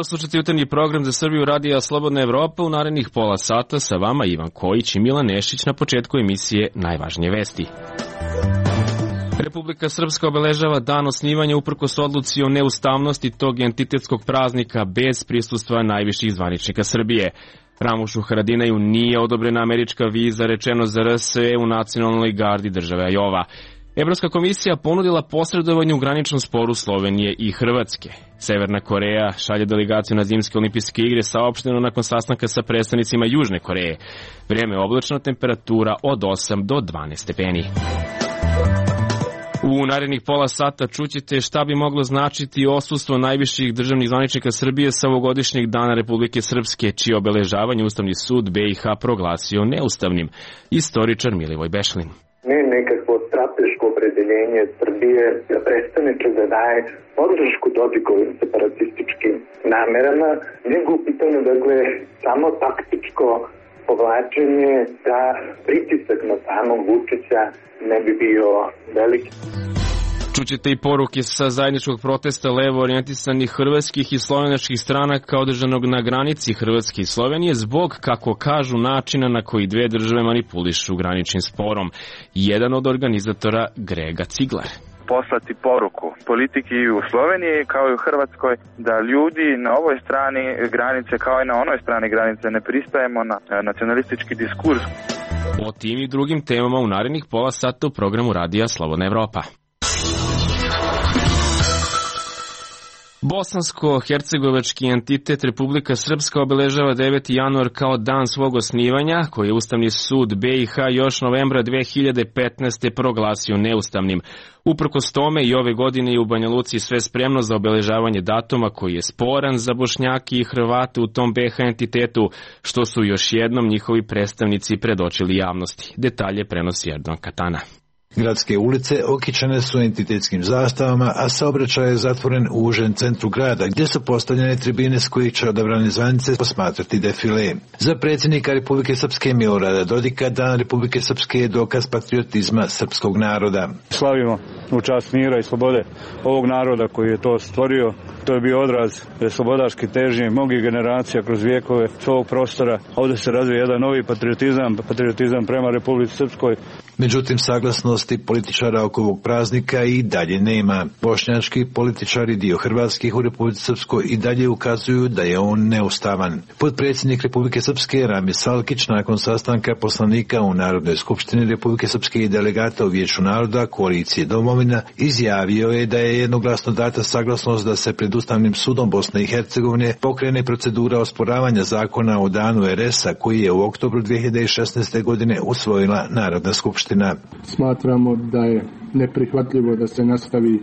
Pozdrav, slušajte jutarnji program za Srbiju Radija Slobodna Evropa. U narednih pola sata sa vama Ivan Kojić i Milan Nešić. Na početku emisije najvažnije vesti. Republika Srpska obeležava dan osnivanja uprkos odluci o neustavnosti tog entitetskog praznika bez prisustva najviših zvaničnika Srbije. Ramušu Haradinaju nije odobrena američka viza, rečeno za RSE u nacionalnoj gardi države Ajova. Evropska komisija ponudila posredovanje u graničnom sporu Slovenije i Hrvatske. Severna Koreja šalje delegaciju na zimske olimpijske igre, saopšteno nakon sastanka sa predstavnicima Južne Koreje. Vrijeme je oblačno, temperatura od 8 do 12 stepeni. U narednih pola sata čućete šta bi moglo značiti odsustvo najviših državnih zvaničnika Srbije sa ovogodišnjeg dana Republike Srpske, čije obeležavanje Ustavni sud BiH proglasio neustavnim. Istoričar Milivoj Bešlin. Ne nekakvo strateško opredeljenje Srbije da prestane da daje podršku Dodikovim separatističkim namerama, nego u pitanju samo taktičko povlačenje da pritisak na samog Vučića ne bi bio veliki. Čućete i poruke sa zajedničkog protesta levo orijentisanih hrvatskih i slovenačkih stranaka održanog na granici Hrvatske i Slovenije zbog, kako kažu, načina na koji dve države manipulišu graničnim sporom. Jedan od organizatora Grega Ciglar. Poslati poruku politiki u Sloveniji kao i u Hrvatskoj da ljudi na ovoj strani granice kao i na onoj strani granice ne pristajemo na nacionalistički diskurs. O tim i drugim temama u narednih pola sata u programu Radija Slobodna Evropa. Bosansko-hercegovački entitet Republika Srpska obeležava 9. januar kao dan svog osnivanja, koji je Ustavni sud BiH još novembra 2015. proglasio neustavnim. Uprkos tome i ove godine je u Banja Luci sve spremno za obeležavanje datuma koji je sporan za Bošnjake i Hrvate u tom BiH entitetu, što su još jednom njihovi predstavnici predočili javnosti. Detalje prenosi Erdogan Katana. Gradske ulice okićene su entitetskim zastavama, a saobraćaj je zatvoren u užem centru grada, gdje su postavljene tribine s kojih će odabrane zvanice posmatrati defile. Za predsjednika Republike Srpske Milorada Dodika, dan Republike Srpske je dokaz patriotizma srpskog naroda. Slavimo u čast mira i slobode ovog naroda koji je to stvorio. To je bio odraz slobodarske težnje mnogih generacija kroz vijekove svog prostora. Ovdje se razvija jedan novi patriotizam prema Republici Srpskoj. Međutim, saglasnosti političara oko ovog praznika i dalje nema. Bošnjački političari, dio hrvatskih u Republici Srpskoj, i dalje ukazuju da je on neustavan. Potpredsjednik Republike Srpske Rami Salkić nakon sastanka poslanika u Narodnoj skupštini Republike Srpske i delegata u Vijeću naroda koalicije Domovina izjavio je da je jednoglasno data saglasnost da se pred Ustavnim sudom Bosne i Hercegovine pokrene procedura osporavanja zakona o danu RS-a koji je u oktobru 2016. godine usvojila Narodna skupština. Smatramo da je neprihvatljivo da se nastavi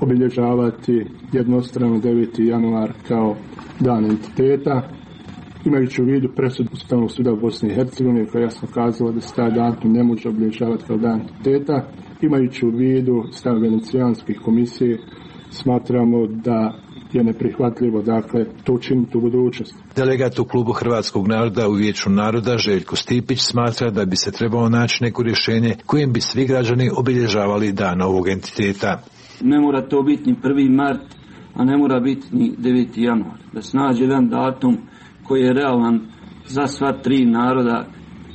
obilježavati jednostrano 9. januar kao dan entiteta, imajući u vidu presudu Ustavnog suda u Bosni i Hercegovini koja je jasno kazala da se taj datum ne može obilježavati kao dan entiteta, imajući u vidu stav Venecijanskih komisije, smatramo da je neprihvatljivo, to učiniti u budućnosti. Delegat u klubu Hrvatskog naroda u Vijeću naroda Željko Stipić smatra da bi se trebalo naći neko rješenje kojim bi svi građani obilježavali dan ovog entiteta. Ne mora to biti ni 1. mart, a ne mora biti ni 9. januar. Da se nađe jedan datum koji je realan za sva tri naroda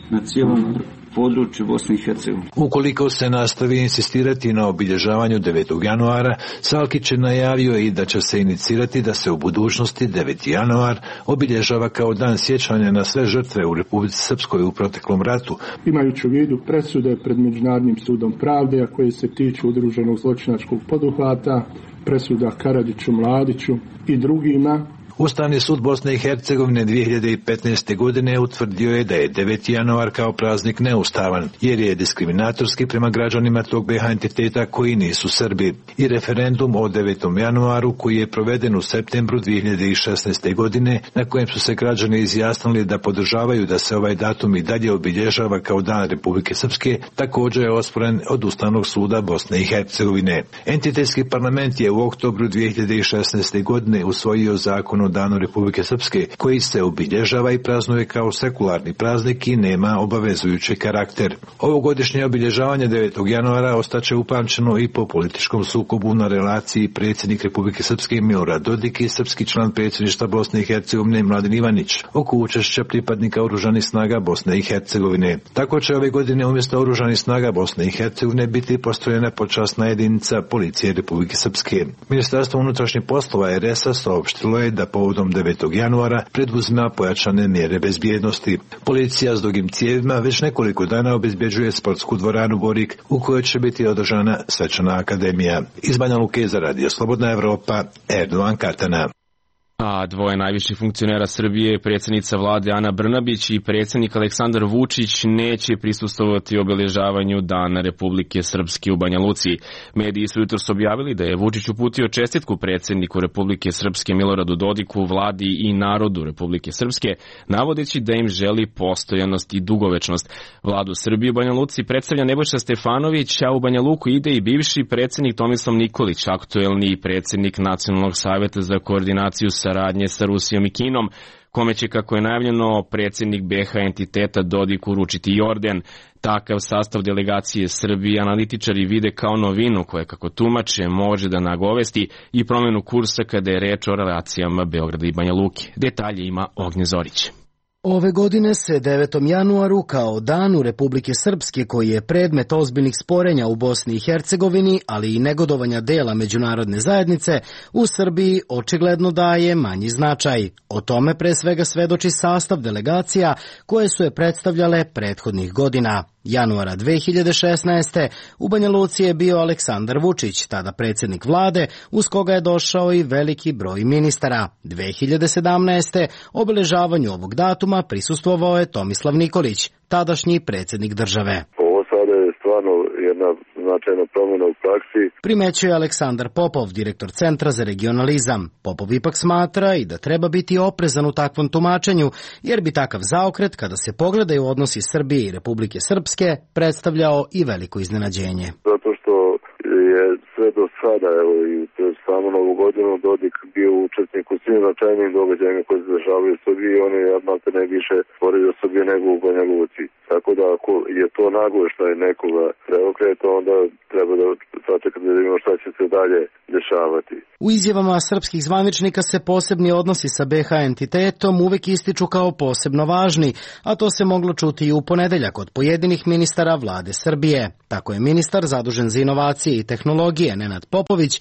na cijelom području Bosne i Hercegovine. Ukoliko se nastavi insistirati na obilježavanju 9. januara, Salkić je najavio i da će se inicirati da se u budućnosti 9. januar obilježava kao dan sjećanja na sve žrtve u Republici Srpskoj u proteklom ratu. Imajući u vidu presude pred Međunarodnim sudom pravde, a koje se tiču udruženog zločinačkog poduhvata, presuda Karadžiću, Mladiću i drugima, Ustavni sud Bosne i Hercegovine 2015. godine utvrdio je da je 9. januar kao praznik neustavan, jer je diskriminatorski prema građanima tog BiH entiteta koji nisu Srbi. I referendum o 9. januaru koji je proveden u septembru 2016. godine, na kojem su se građani izjasnili da podržavaju da se ovaj datum i dalje obilježava kao dan Republike Srpske, također je osporen od Ustavnog suda Bosne i Hercegovine. Entitetski parlament je u oktobru 2016. godine usvojio zakon o međunarodnom danu Republike Srpske, koji se obilježava i praznuje kao sekularni praznik i nema obavezujući karakter. Ovogodišnje obilježavanje 9. januara ostaće upamćeno i po političkom sukobu na relaciji predsjednik Republike Srpske Milorad Dodik i srpski član predsjedništva Bosne i Hercegovine Mladen Ivanić oko učešća pripadnika oružanih snaga Bosne i Hercegovine. Tako će ove godine umjesto oružanih snaga Bosne i Hercegovine biti postrojena počasna jedinica policije Republike Srpske. Ministarstvo unutrašnjih poslova RS-a saopštilo je da povodom 9. januara preduzima pojačane mjere bezbjednosti. Policija s dugim cijevima već nekoliko dana obezbjeđuje sportsku dvoranu Borik u kojoj će biti održana svečana akademija. Iz Banja Luke za Radio Slobodna Evropa, Erdovan Katana. A dvoje najviših funkcionera Srbije, predsjednica vlade Ana Brnabić i predsjednik Aleksandar Vučić, neće prisustvovati obeležavanju Dana Republike Srpske u Banja Luci. Mediji su jutros objavili da je Vučić uputio čestitku predsjedniku Republike Srpske Miloradu Dodiku, vladi i narodu Republike Srpske, navodeći da im želi postojanost i dugovečnost. Vladu Srbije u Banja Luci predstavlja Nebojša Stefanović, a u Banja Luku ide i bivši predsjednik Tomislav Nikolić, aktuelni predsjednik Nacionalnog savjeta za koordinaciju saradnje sa Rusijom i Kinom, kome će, kako je najavljeno, predsjednik BiH entiteta Dodik uručiti i orden. Takav sastav delegacije Srbije analitičari vide kao novinu koja, kako tumače, može da nagovesti i promjenu kursa kada je reč o relacijama Beograda i Banja Luke. Detalje ima Ognje Zorić. Ove godine se 9. januaru kao Danu Republike Srpske, koji je predmet ozbiljnih sporenja u Bosni i Hercegovini, ali i negodovanja dela međunarodne zajednice, u Srbiji očigledno daje manji značaj. O tome pre svega svedoči sastav delegacija koje su je predstavljale prethodnih godina. Januara 2016. u Banja Luci je bio Aleksandar Vučić, tada predsjednik vlade, uz koga je došao i veliki broj ministara. 2017. obeležavanju ovog datuma prisustvovao je Tomislav Nikolić, tadašnji predsjednik države. Ovo sada je stvarno jedna značajna promjena u praksi. Primećuje Aleksandar Popov, direktor Centra za regionalizam. Popov ipak smatra i da treba biti oprezan u takvom tumačenju, jer bi takav zaokret, kada se pogledaju odnosi Srbije i Republike Srpske, predstavljao i veliko iznenađenje. Zato što je sve do sada, evo i samo novu godinu, Dodik bio učesnik u svim značajnim događajima koji se dešavaju u Srbiji i on je malte ne više stvorio Srbije nego u Banja Luci. Tako da ako je to nagoveštaj nekoga preokreta, onda treba da sačekati da vidimo šta će se dalje dešavati. U izjavama srpskih zvaničnika se posebni odnosi sa BiH entitetom uvek ističu kao posebno važni, a to se moglo čuti i u ponedeljak od pojedinih ministara vlade Srbije. Tako je ministar zadužen za inovacije i tehnologije Nenad Popović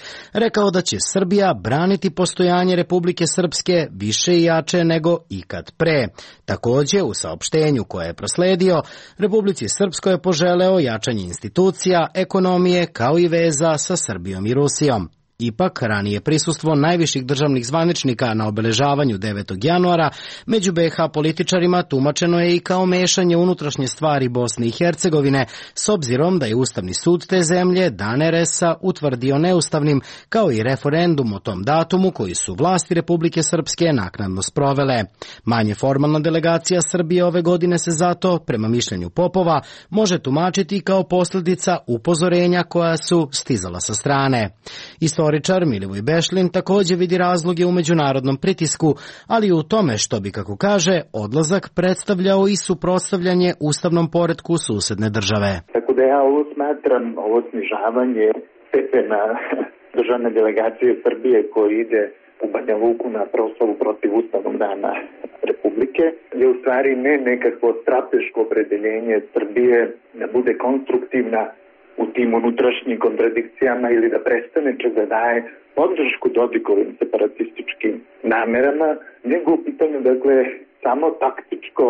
rekao da će Srbija braniti postojanje Republike Srpske više i jače nego ikad pre. Takođe, u saopštenju koje je prosledio, Republici Srpskoj je poželeo jačanje institucija, ekonomije kao i veza sa Srbijom i Rusijom. Ipak, ranije prisustvo najviših državnih zvaničnika na obeležavanju 9. januara među BiH političarima tumačeno je i kao mešanje unutrašnje stvari Bosne i Hercegovine, s obzirom da je Ustavni sud te zemlje Dan RS-a utvrdio neustavnim, kao i referendum o tom datumu koji su vlasti Republike Srpske naknadno sprovele. Manje formalna delegacija Srbije ove godine se zato, prema mišljenju Popova, može tumačiti kao posljedica upozorenja koja su stizala sa strane. Istoričar Milivoj Bešlin također vidi razloge u međunarodnom pritisku, ali i u tome što bi, kako kaže, odlazak predstavljao i suprotstavljanje ustavnom poretku susedne države. Tako da ja ovo smatram, ovo snižavanje stepena državne delegacije Srbije koji ide u Banja Luku na proslavu protiv Ustavnog dana Republike, je u stvari ne nekakvo strateško opredeljenje Srbije da bude konstruktivna u tim unutrašnjim kontradikcijama ili da prestane da daje podršku Dodikovim separatističkim namerama, nego u pitanju, dakle, samo taktičko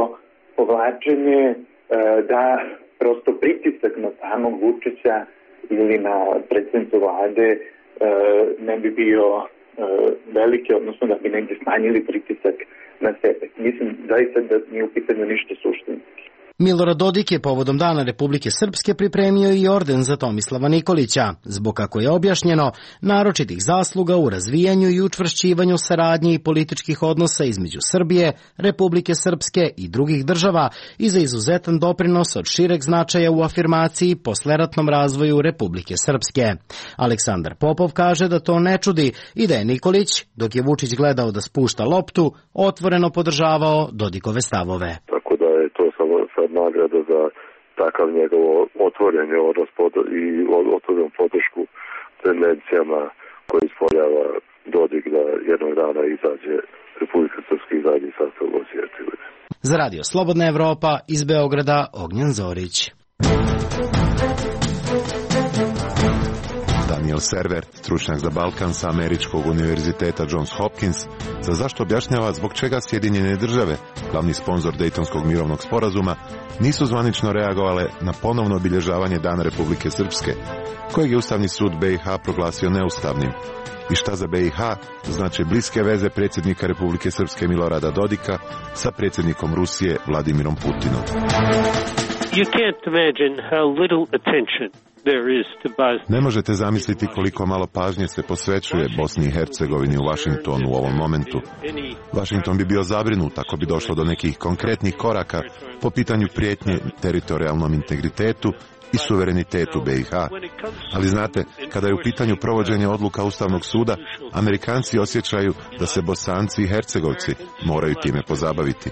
povlačenje da prosto pritisak na samog Vučića ili na predsjednicu vlade ne bi bio veliki, odnosno da bi negdje smanjili pritisak na sebe. Mislim zaista da nije u pitanju ništa suštinski. Milorad Dodik je povodom Dana Republike Srpske pripremio i orden za Tomislava Nikolića, zbog, kako je objašnjeno, naročitih zasluga u razvijanju i učvršćivanju saradnje i političkih odnosa između Srbije, Republike Srpske i drugih država i za izuzetan doprinos od šireg značaja u afirmaciji posleratnom razvoju Republike Srpske. Aleksandar Popov kaže da to ne čudi i da je Nikolić, dok je Vučić gledao da spušta loptu, otvoreno podržavao Dodikove stavove. Tako da je to sad nagrada za takav njegov otvoren odnos i otvoren podršku tendencijama koje ispoljava Dodik da jednog dana izađe Republika Srpska i zadnji sastav Bosne i Hercegovine. Za Radio Slobodna Evropa iz Beograda, Ognjen Zorić. Daniel Server, stručnjak za Balkan sa Američkog univerziteta Johns Hopkins, za zašto objašnjava zbog čega Sjedinjene države, glavni sponzor Dejtonskog mirovnog sporazuma, nisu zvanično reagovale na ponovno obilježavanje Dana Republike Srpske, kojeg je Ustavni sud BiH proglasio neustavnim. I šta za BiH znači bliske veze predsjednika Republike Srpske Milorada Dodika sa predsjednikom Rusije Vladimirom Putinom. You can't imagine how little attention there is to Bosnia. Ne možete zamisliti koliko malo pažnje se posvećuje Bosni i Hercegovini u Vašingtonu u ovom momentu. Washington bi bio zabrinut ako bi došlo do nekih konkretnih koraka po pitanju prijetnje teritorijalnom integritetu i suverenitetu BiH. Ali znate, kada je u pitanju provođenje odluka Ustavnog suda, Amerikanci osjećaju da se Bosanci i Hercegovci moraju time pozabaviti.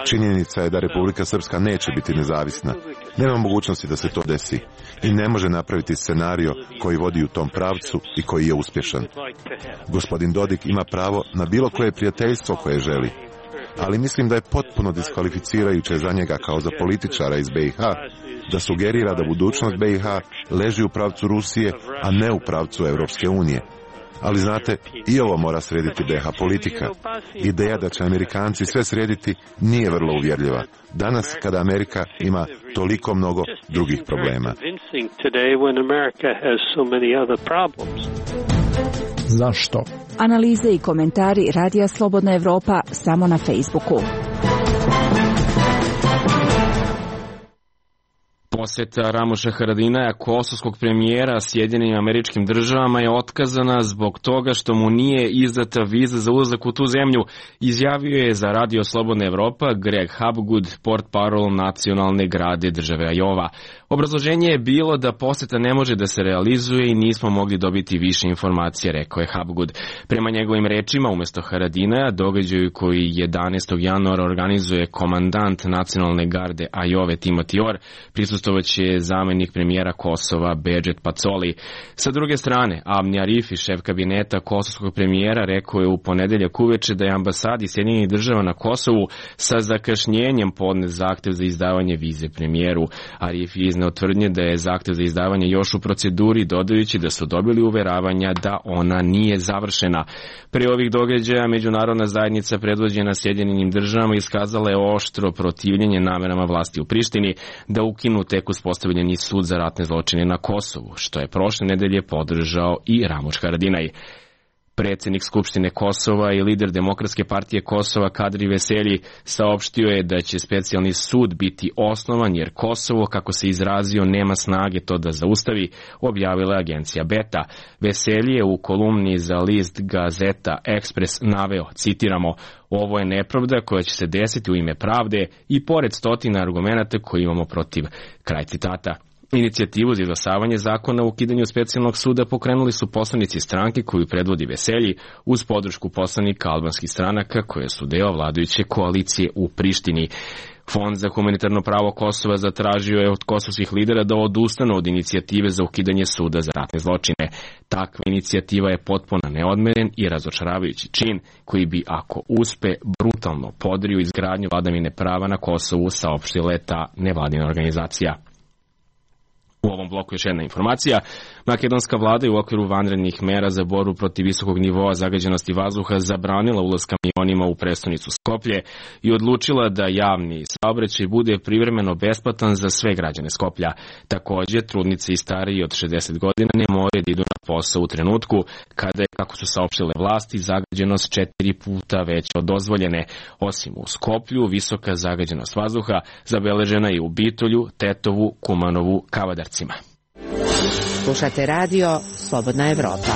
Činjenica je da Republika Srpska neće biti nezavisna. Nema mogućnosti da se to desi i ne može napraviti scenario koji vodi u tom pravcu i koji je uspješan. Gospodin Dodik ima pravo na bilo koje prijateljstvo koje želi, ali mislim da je potpuno diskvalificirajuće za njega kao za političara iz BiH da sugerira da budućnost BiH leži u pravcu Rusije, a ne u pravcu Europske unije. Ali znate, i ovo mora srediti BiH politika. Ideja da će Amerikanci sve srediti nije vrlo uvjerljiva. Danas, kada Amerika ima toliko mnogo drugih problema. Zašto? Analize i komentari Radija Slobodna Evropa samo na Facebooku. Posjeta Ramuša Haradinaja, kosovskog premijera Sjedinjenim Američkim Državama, je otkazana zbog toga što mu nije izdata viza za ulazak u tu zemlju, izjavio je za Radio Slobodna Evropa Greg Hapgood, portparol nacionalne grade države Ajova. Obrazloženje je bilo da posjeta ne može da se realizuje i nismo mogli dobiti više informacije, rekao je Hapgood. Prema njegovim rečima, umjesto Haradinaja, događaju koji 11. januara organizuje komandant nacionalne garde Ajove Timothy Orr, prisustovaće zamjenik premijera Kosova Bedžet Pacoli. Sa druge strane, Avni Arifi, šef kabineta kosovskog premijera, rekao je u ponedeljak uveče da je ambasadi Sjedinjenih Država na Kosovu sa zakašnjenjem podnet zahtev za izdavanje vize premijeru. Arifi je izneo tvrdnje da je zahtev za izdavanje još u proceduri, dodajući da su dobili uveravanja da ona nije završena. Pre ovih događaja međunarodna zajednica predvođena Sjedinjenim Državama iskazala je oštro protivljenje namerama vlasti u Prištini da ukinu tek uspostavljeni sud za ratne zločine na Kosovu, što je prošle nedelje podržao i Ramuš Haradinaj. Predsjednik Skupštine Kosova i lider Demokratske partije Kosova Kadri Veselji saopštio je da će specijalni sud biti osnovan jer Kosovo, kako se izrazio, nema snage to da zaustavi, objavila agencija Beta. Veselji je u kolumni za list Gazeta Ekspres naveo, citiramo, ovo je nepravda koja će se desiti u ime pravde i pored stotina argumenata koje imamo protiv. Kraj citata. Inicijativu za izglasavanje zakona o ukidanju specijalnog suda pokrenuli su poslanici stranke koju predvodi Veselji uz podršku poslanika albanskih stranaka koje su deo vladajuće koalicije u Prištini. Fond za humanitarno pravo Kosova zatražio je od kosovskih lidera da odustanu od inicijative za ukidanje suda za ratne zločine. Takva inicijativa je potpuno neodmeren i razočaravajući čin koji bi, ako uspe, brutalno podrio izgradnju vladavine prava na Kosovu, saopštila je ta nevladina organizacija. U ovom bloku još jedna informacija. Makedonska vlada je u okviru vanrednih mera za borbu protiv visokog nivoa zagađenosti vazduha zabranila ulaz kamionima u prestonicu Skoplje i odlučila da javni saobraćaj bude privremeno besplatan za sve građane Skoplja. Također, trudnice i stariji od 60 godina ne moraju da idu na posao u trenutku kada je, kako su saopštile vlasti, zagađenost 4 puta veća od dozvoljene. Osim u Skoplju, visoka zagađenost vazduha zabeležena je u Bitolju, Tetovu, Kumanovu, Kavadarcima. Slušate radio Slobodna Evropa.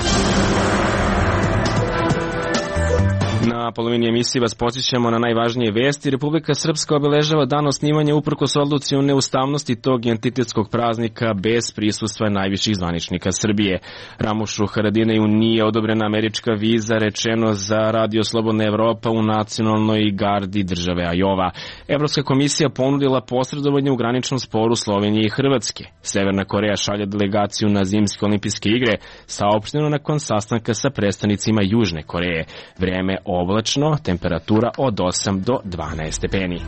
Na polovini emisije vas podsjećamo na najvažnije vesti. Republika Srpska obeležava dan osnivanja uprkos odluci o neustavnosti tog entitetskog praznika bez prisustva najviših zvaničnika Srbije. Ramušu Haradinaju nije odobrena američka viza, rečeno za Radio Slobodna Evropa u nacionalnoj gardi države Ajova. Evropska komisija ponudila posredovanje u graničnom sporu Slovenije i Hrvatske. Severna Koreja šalje delegaciju na zimske olimpijske igre, saopšteno nakon sastanka sa predstavnicima Južne Koreje. Vreme oblačno, temperatura od 8 do 12 stepeni.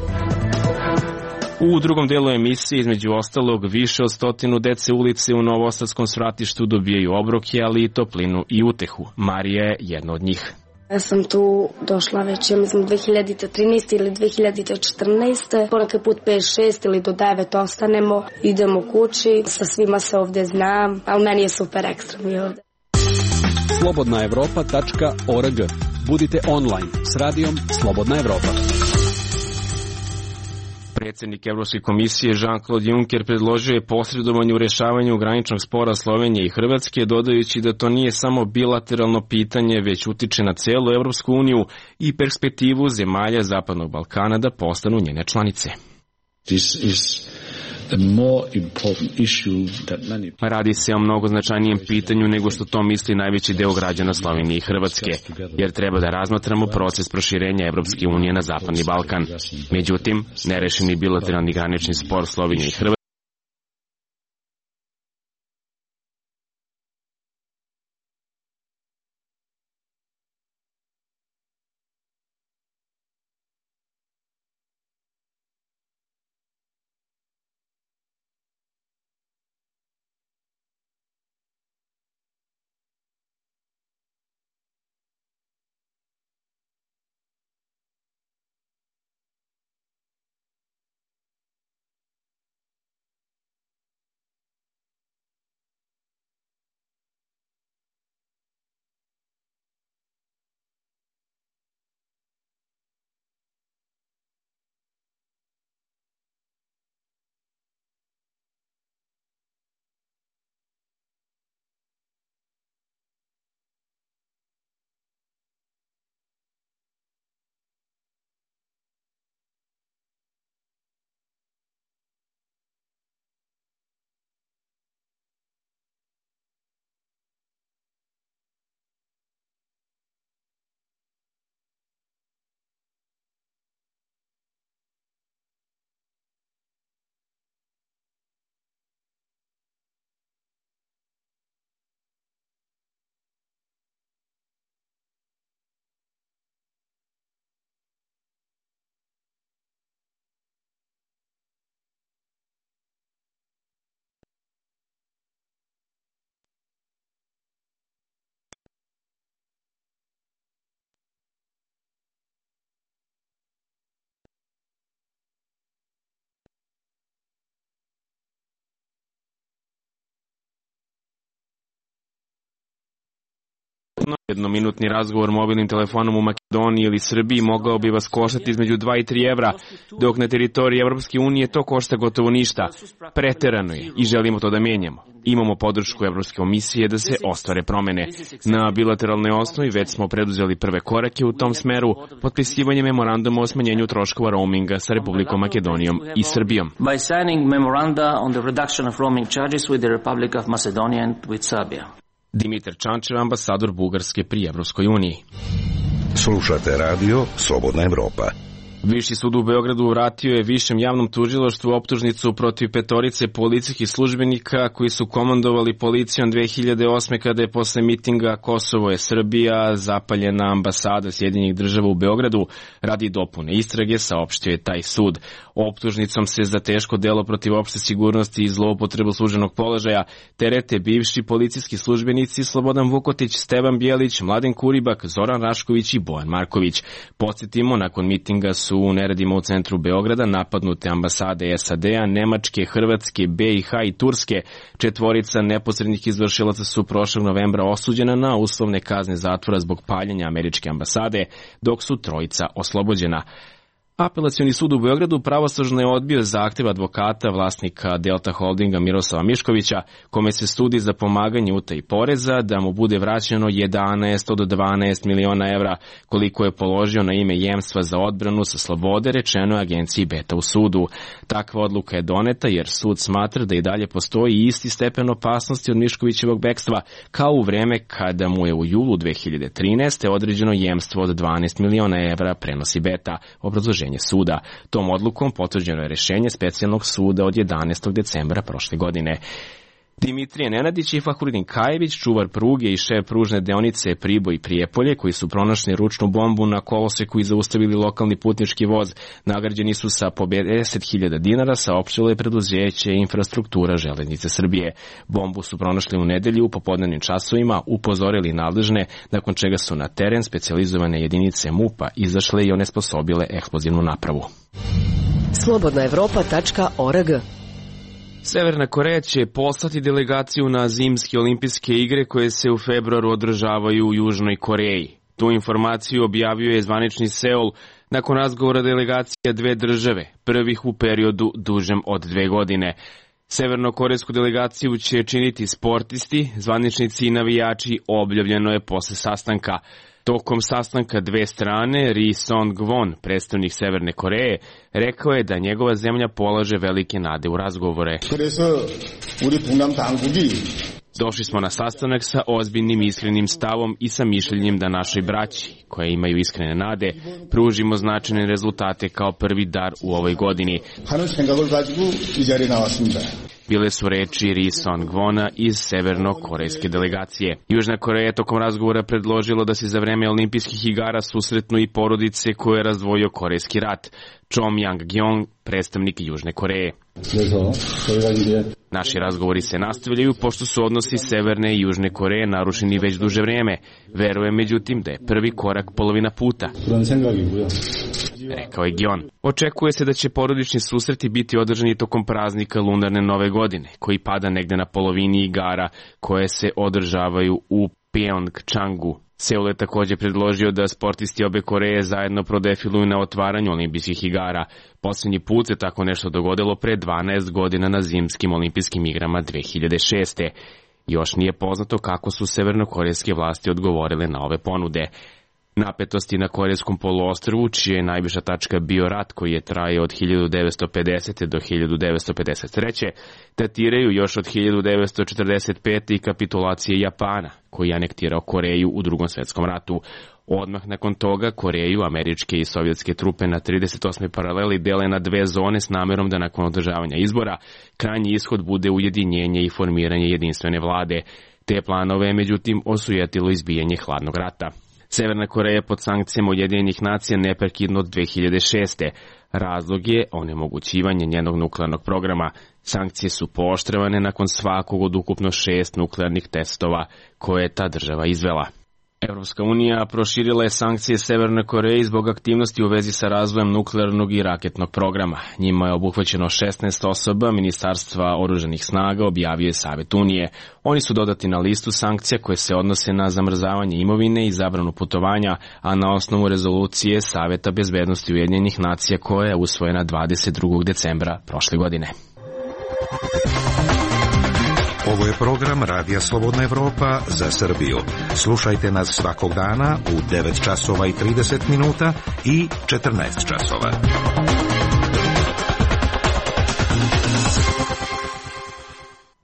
U drugom delu emisije, između ostalog, više od 100 dece ulice u Novosadskom svratištu dobijaju obroke, ali i toplinu i utehu. Marija je jedna od njih. Ja sam tu došla već, ja mislim, 2013. ili 2014. Ponekad put 5-6 ili do 9 ostanemo, idemo kući, sa svima se ovdje znam, ali meni je super ekstra mi ovdje. slobodnaevropa.org. Budite online s radijom Slobodna Evropa. Predsjednik Evropske komisije Jean-Claude Juncker predložio je posredovanje u rešavanju graničnog spora Slovenije i Hrvatske, dodajući da to nije samo bilateralno pitanje, već utiče na celu Evropsku uniju i perspektivu zemalja Zapadnog Balkana da postanu njene članice. Radi se o mnogo značajnijem pitanju nego što to misli najveći deo građana Slovenije i Hrvatske, jer treba da razmatramo proces proširenja Evropske unije na Zapadni Balkan. Međutim, nerešeni bilateralni granični spor Slovenije i Hrvatske Jednominutni razgovor mobilnim telefonom u Makedoniji ili Srbiji mogao bi vas koštati između 2 i 3 evra, dok na teritoriji Evropske unije to košta gotovo ništa. Preterano je i želimo to da menjamo. Imamo podršku Evropske komisije da se ostvare promene. Na bilateralnoj osnovi već smo preduzeli prve korake u tom smeru, potpisivanje memoranduma o smanjenju troškova roaminga sa Republikom Makedonijom i Srbijom. By signing memoranda on the reduction of roaming charges with the Republic of Macedonia and with Serbia. Dimitar Čančev, ambasador Bugarske pri Evropskoj uniji. Slušate radio Slobodna Evropa. Viši sud u Beogradu vratio je Višem javnom tužilaštvu optužnicu protiv 5 policijskih službenika koji su komandovali policijom 2008. kada je posle mitinga Kosovo je Srbija zapaljena ambasada Sjedinjenih država u Beogradu radi dopune istrage, saopštio je taj sud. Optužnicom se za teško delo protiv opšte sigurnosti i zloupotrebu službenog položaja terete bivši policijski službenici Slobodan Vukotić, Stevan Bjelić, Mladen Kuribak, Zoran Rašković i Bojan Marković. Podsjetimo, nakon mitinga su u neredima u centru Beograda napadnute ambasade SAD-a, Nemačke, Hrvatske, BiH i Turske. 4 neposrednih izvršilaca su prošlog novembra osuđena na uslovne kazne zatvora zbog paljenja američke ambasade, dok su 3 oslobođena. Apelacioni sud u Beogradu pravosnažno je odbio zahtev advokata vlasnika Delta Holdinga Miroslava Miškovića, kome se sudi za pomaganje utaji poreza da mu bude vraćeno 11 od 12 miliona evra, koliko je položio na ime jemstva za odbranu sa slobode, rečeno je agenciji Beta u sudu. Takva odluka je doneta jer sud smatra da i dalje postoji isti stepen opasnosti od Miškovićevog bekstva kao u vreme kada mu je u julu 2013. određeno jemstvo od 12 miliona evra, prenosi Beta. Obrazloženje suda. Tom odlukom potvrđeno je rešenje specijalnog suda od 11. decembra prošle godine. Dimitrije Nenadić i Fahrudin Kajević, čuvar pruge i šef pružne deonice Priboj i Prijepolje, koji su pronašli ručnu bombu na koloseku i zaustavili lokalni putnički voz, nagrađeni su sa po 50.000 dinara, saopštilo je preduzeće Infrastruktura železnice Srbije. Bombu su pronašli u nedelju u popodnevnim časovima, upozorili nadležne, nakon čega su na teren specijalizovane jedinice MUP-a izašle i onesposobile eksplozivnu napravu. Slobodnaevropa.org. Severna Koreja će poslati delegaciju na zimske olimpijske igre koje se u februaru održavaju u Južnoj Koreji. Tu informaciju objavio je zvanični Seul nakon razgovora delegacija 2 države, prvih u periodu dužem od 2 godine. Severnokorejsku delegaciju će činiti sportisti, zvaničnici i navijači, objavljeno je posle sastanka. Tokom sastanka 2 strane, Ri Song-won, predstavnik Severne Koreje, rekao je da njegova zemlja polaže velike nade u razgovore. Došli smo na sastanak sa ozbiljnim iskrenim stavom i sa mišljenjem da našoj braći, koje imaju iskrene nade, pružimo značajne rezultate kao prvi dar u ovoj godini. Bile su reči Ri Song-wona iz severno-korejske delegacije. Južna Koreja je tokom razgovora predložila da se za vreme olimpijskih igara susretnu i porodice koje je razdvojio Korejski rat. Chom Yang-gyong, predstavnik Južne Koreje. Naši razgovori se nastavljaju pošto su odnosi Severne i Južne Koreje narušeni već duže vreme. Verujem međutim da je prvi korak polovina puta, rekao je Gyon. Očekuje se da će porodični susreti biti održani tokom praznika lunarne nove godine, koji pada negde na polovini igara koje se održavaju u Pyeongchangu. Seul je također predložio da sportisti obe Koreje zajedno prodefiluju na otvaranju olimpijskih igara. Posljednji put se tako nešto dogodilo pre 12 godina na zimskim olimpijskim igrama 2006. Još nije poznato kako su severnokorejske vlasti odgovorile na ove ponude. Napetosti na Korejskom poluostrvu, čija je najviša tačka bio rat koji je trajao od 1950. do 1953. datiraju još od 1945. i kapitulacije Japana, koji je anektirao Koreju u Drugom svjetskom ratu. Odmah nakon toga Koreju, američke i sovjetske trupe na 38. paraleli dele na 2 zone s namerom da nakon održavanja izbora krajnji ishod bude ujedinjenje i formiranje jedinstvene vlade. Te planove je međutim osujetilo izbijanje hladnog rata. Severna Koreja pod sankcijama Ujedinjenih nacija neprekidno od 2006. Razlog je onemogućivanje njenog nuklearnog programa. Sankcije su pooštravane nakon svakog od ukupno 6 nuklearnih testova koje je ta država izvela. Evropska unija proširila je sankcije Severnoj Koreji zbog aktivnosti u vezi sa razvojem nuklearnog i raketnog programa. Njima je obuhvaćeno 16 osoba Ministarstva oružanih snaga, objavio je Savet Unije. Oni su dodati na listu sankcija koje se odnose na zamrzavanje imovine i zabranu putovanja, a na osnovu rezolucije Saveta bezbednosti Ujedinjenih nacija koja je usvojena 22. decembra prošle godine. Ovo je program Radija Slobodna Evropa za Srbiju. Slušajte nas svakog dana u 9 časova i 30 minuta i 14 časova.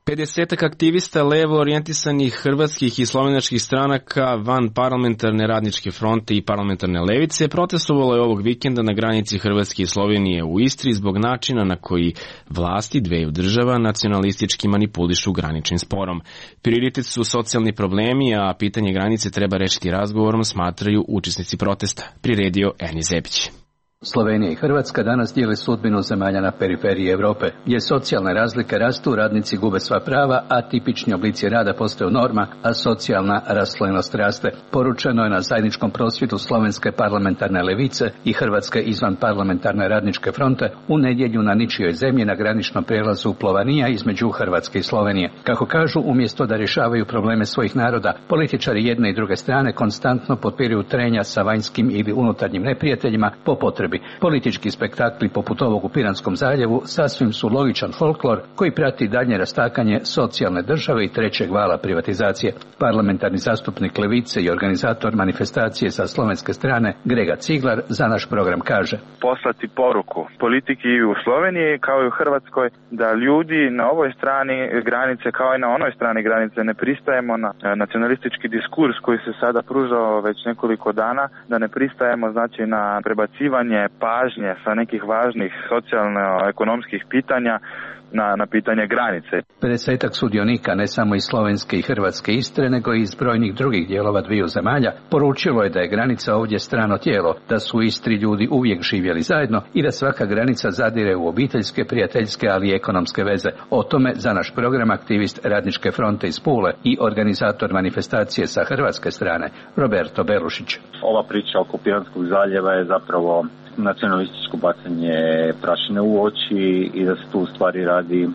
50 aktivista levo orijentisanih hrvatskih i slovenačkih stranaka van parlamentarne radničke fronte i parlamentarne levice protestovalo je ovog vikenda na granici Hrvatske i Slovenije u Istri zbog načina na koji vlasti dveju država nacionalistički manipulišu graničnim sporom. Prioritet su socijalni problemi, a pitanje granice treba rešiti razgovorom, smatraju učesnici protesta, priredio Eni Zebić. Slovenija i Hrvatska danas dijele sudbinu zemalja na periferiji Europe, gdje socijalne razlike rastu, radnici gube sva prava, a tipični oblici rada postaju norma, a socijalna raslojenost raste. Poručeno je na zajedničkom prosvjedu slovenske parlamentarne levice i Hrvatske izvan parlamentarne radničke fronte u nedjelju na ničijoj zemlji na graničnom prijelazu Plovanija između Hrvatske i Slovenije. Kako kažu, umjesto da rješavaju probleme svojih naroda, političari jedne i druge strane konstantno potpiruju trenja sa vanjskim ili unutarnjim neprijateljima po potrebi. Politički spektakli poput ovog u Piranskom zaljevu sasvim su logičan folklor koji prati daljnje rastakanje socijalne države i trećeg vala privatizacije. Parlamentarni zastupnik levice i organizator manifestacije sa slovenske strane Grega Ciglar za naš program kaže: poslati poruku politiki u Sloveniji kao i u Hrvatskoj da ljudi na ovoj strani granice kao i na onoj strani granice ne pristajemo na nacionalistički diskurs koji se sada pružao već nekoliko dana, da ne pristajemo znači na prebacivanje pažnje sa nekih važnih socijalno-ekonomskih pitanja na pitanje granice. 50 sudionika, ne samo iz slovenske i hrvatske Istre, nego i iz brojnih drugih dijelova dviju zemalja, poručilo je da je granica ovdje strano tijelo, da su u Istri ljudi uvijek živjeli zajedno i da svaka granica zadire u obiteljske, prijateljske, ali i ekonomske veze. O tome za naš program aktivist Radničke fronte iz Pule i organizator manifestacije sa hrvatske strane Roberto Belušić. Ova priča oko Piranskog zaljeva je zapravo nacionalističko bacanje prašine u oči i da se tu u stvari radi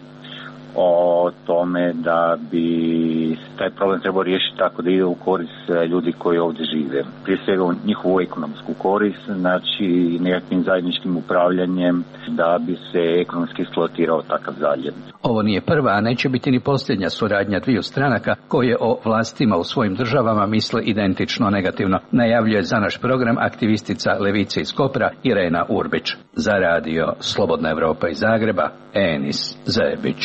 o tome da bi taj problem trebao riješiti tako da ide u korist ljudi koji ovdje žive. Prije svega u njihovu ekonomsku korist, znači nekakvim zajedničkim upravljanjem da bi se ekonomski eksploatirao takav zaljev. Ovo nije prva, a neće biti ni posljednja suradnja dviju stranaka koje o vlastima u svojim državama misle identično negativno, najavljuje za naš program aktivistica levice iz Kopra Irena Urbić. Za radio Slobodna Evropa iz Zagreba, Enis Zebić.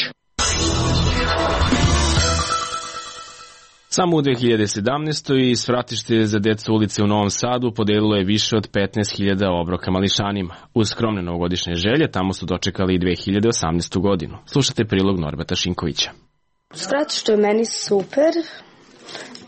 Samo u 2017. svratište za decu ulice u Novom Sadu podelilo je više od 15.000 obroka mališanima. Uz skromne novogodišnje želje tamo su dočekali i 2018. godinu. Slušajte prilog Norbata Šinkovića. Svratište je meni super.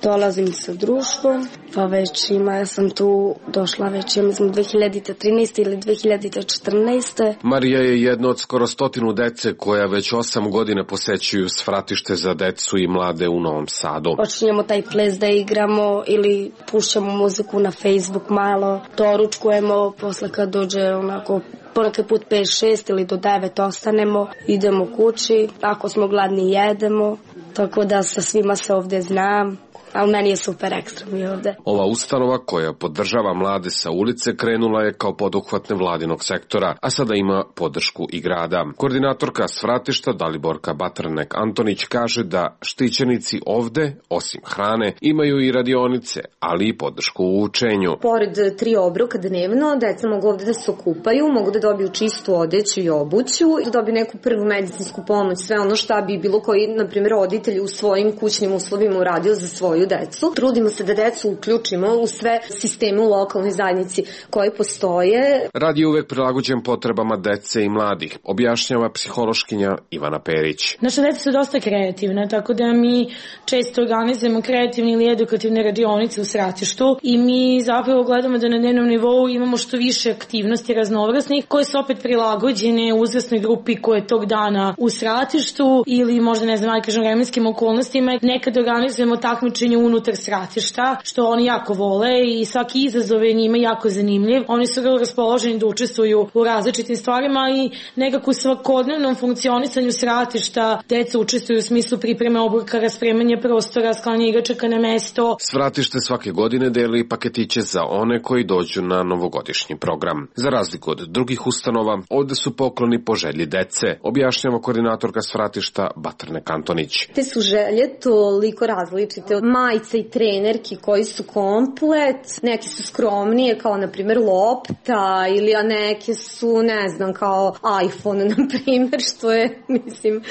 Dolazim sa društvom, pa već ja sam tu došla već, mislim, 2013. ili 2014. Marija je jedna od skoro 100 dece koja već 8 godina posećuju svratište za decu i mlade u Novom Sadu. Počinjemo taj ples da igramo ili pušćamo muziku na Facebook malo, doručkujemo, posle kad dođe onako ponekad put 5-6 ili do 9 ostanemo, idemo kući, ako smo gladni jedemo, tako da sa svima se ovdje znam. Ali meni je super ekstra mi ovde. Ova ustanova koja podržava mlade sa ulice krenula je kao poduhvat nevladinog sektora, a sada ima podršku i grada. Koordinatorka svratišta Daliborka Batrnek-Antonić kaže da štićenici ovde, osim hrane, imaju i radionice, ali i podršku u učenju. Pored 3 obroka dnevno, deca mogu ovde da se okupaju, mogu da dobiju čistu odeću i obuću, da dobiju neku prvu medicinsku pomoć, sve ono šta bi bilo koji, na primjer, roditelj u svojim kućnim uslovima uradio za svoju decu. Trudimo se da decu uključimo u sve sisteme u lokalnoj zajednici koji postoje. Rad je uvek prilagođen potrebama dece i mladih, objašnjava psihološkinja Ivana Perić. Naša deca su dosta kreativna, tako da mi često organizujemo kreativne ili edukativne radionice u svratištu i mi zapravo gledamo da na dnevnom nivou imamo što više aktivnosti raznovrsnih koje su opet prilagođene uzrasnoj grupi koje je tog dana u svratištu ili možda ne znam, kažem, vremenskim okolnostima. Nekad organizujemo takmičenje unutar svratišta, što oni jako vole i svaki izazov je njima jako zanimljiv. Oni su vrlo raspoloženi da učestvuju u različitim stvarima i nekako u svakodnevnom funkcionisanju svratišta deca učestvuju u smislu pripreme obroka, raspremanja prostora, sklanja igračaka na mesto. Svratište svake godine deli paketiće za one koji dođu na novogodišnji program. Za razliku od drugih ustanova, ovde su pokloni po želji dece, objašnjava koordinatorka svratišta Batrnek-Antonić. Te su želje toliko različite. majica i trenerki koji su komplet, neke su skromnije kao na primjer lopta ili a neke su ne znam kao iPhone na primjer, što je mislim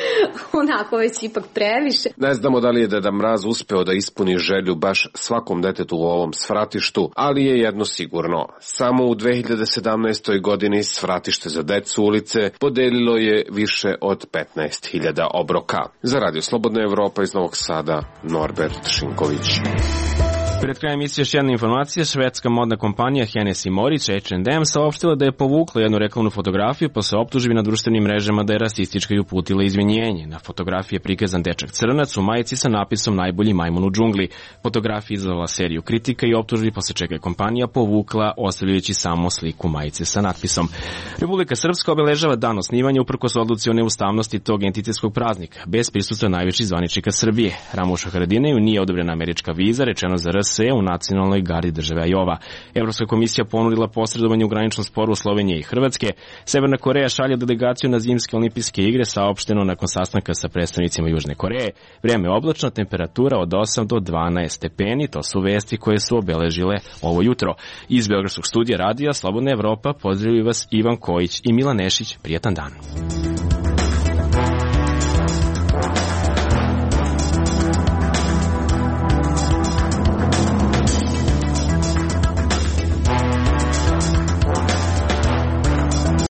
onako već ipak previše. Ne znamo da li je Deda Mraz uspeo da ispuni želju baš svakom detetu u ovom svratištu, ali je jedno sigurno. Samo u 2017. godini svratište za decu ulice podelilo je više od 15.000 obroka. Za Radio Slobodna Evropa iz Novog Sada, Norbert Šinković. Pred krajem emisije još jedna informacija. Švedska modna kompanija Hennes & Mauritz H&M saopštila da je povukla jednu reklamnu fotografiju posle optužbi na društvenim mrežama da je rasistička i uputila izvinjenje. Na fotografiji je prikazan dečak crnac u majici sa napisom najbolji majmun u džungli. Fotografija izazvala seriju kritika i optužbi, posle čega je kompanija povukla, ostavljajući samo sliku majice sa natpisom. Republika Srpska obeležava dan osnivanja uprkos odluci o neustavnosti tog entitetskog praznika, bez prisustva najviših zvaničnika Srbije. Ramušu Haradinaju nije odobrena američka viza, rečeno za RS u nacionalnoj gardi države Ajova. Evropska komisija ponudila posredovanje u graničnom sporu Slovenije i Hrvatske. Severna Koreja šalje delegaciju na zimske olimpijske igre, saopšteno nakon sastanka sa predstavnicima Južne Koreje. Vreme oblačno, temperatura od 8 do 12 stepeni, to su vesti koje su obeležile ovo jutro. Iz Beogradskog studija radija Slobodna Evropa pozdravljaju vas Ivan Kojić i Milan Nešić. Prijatan dan.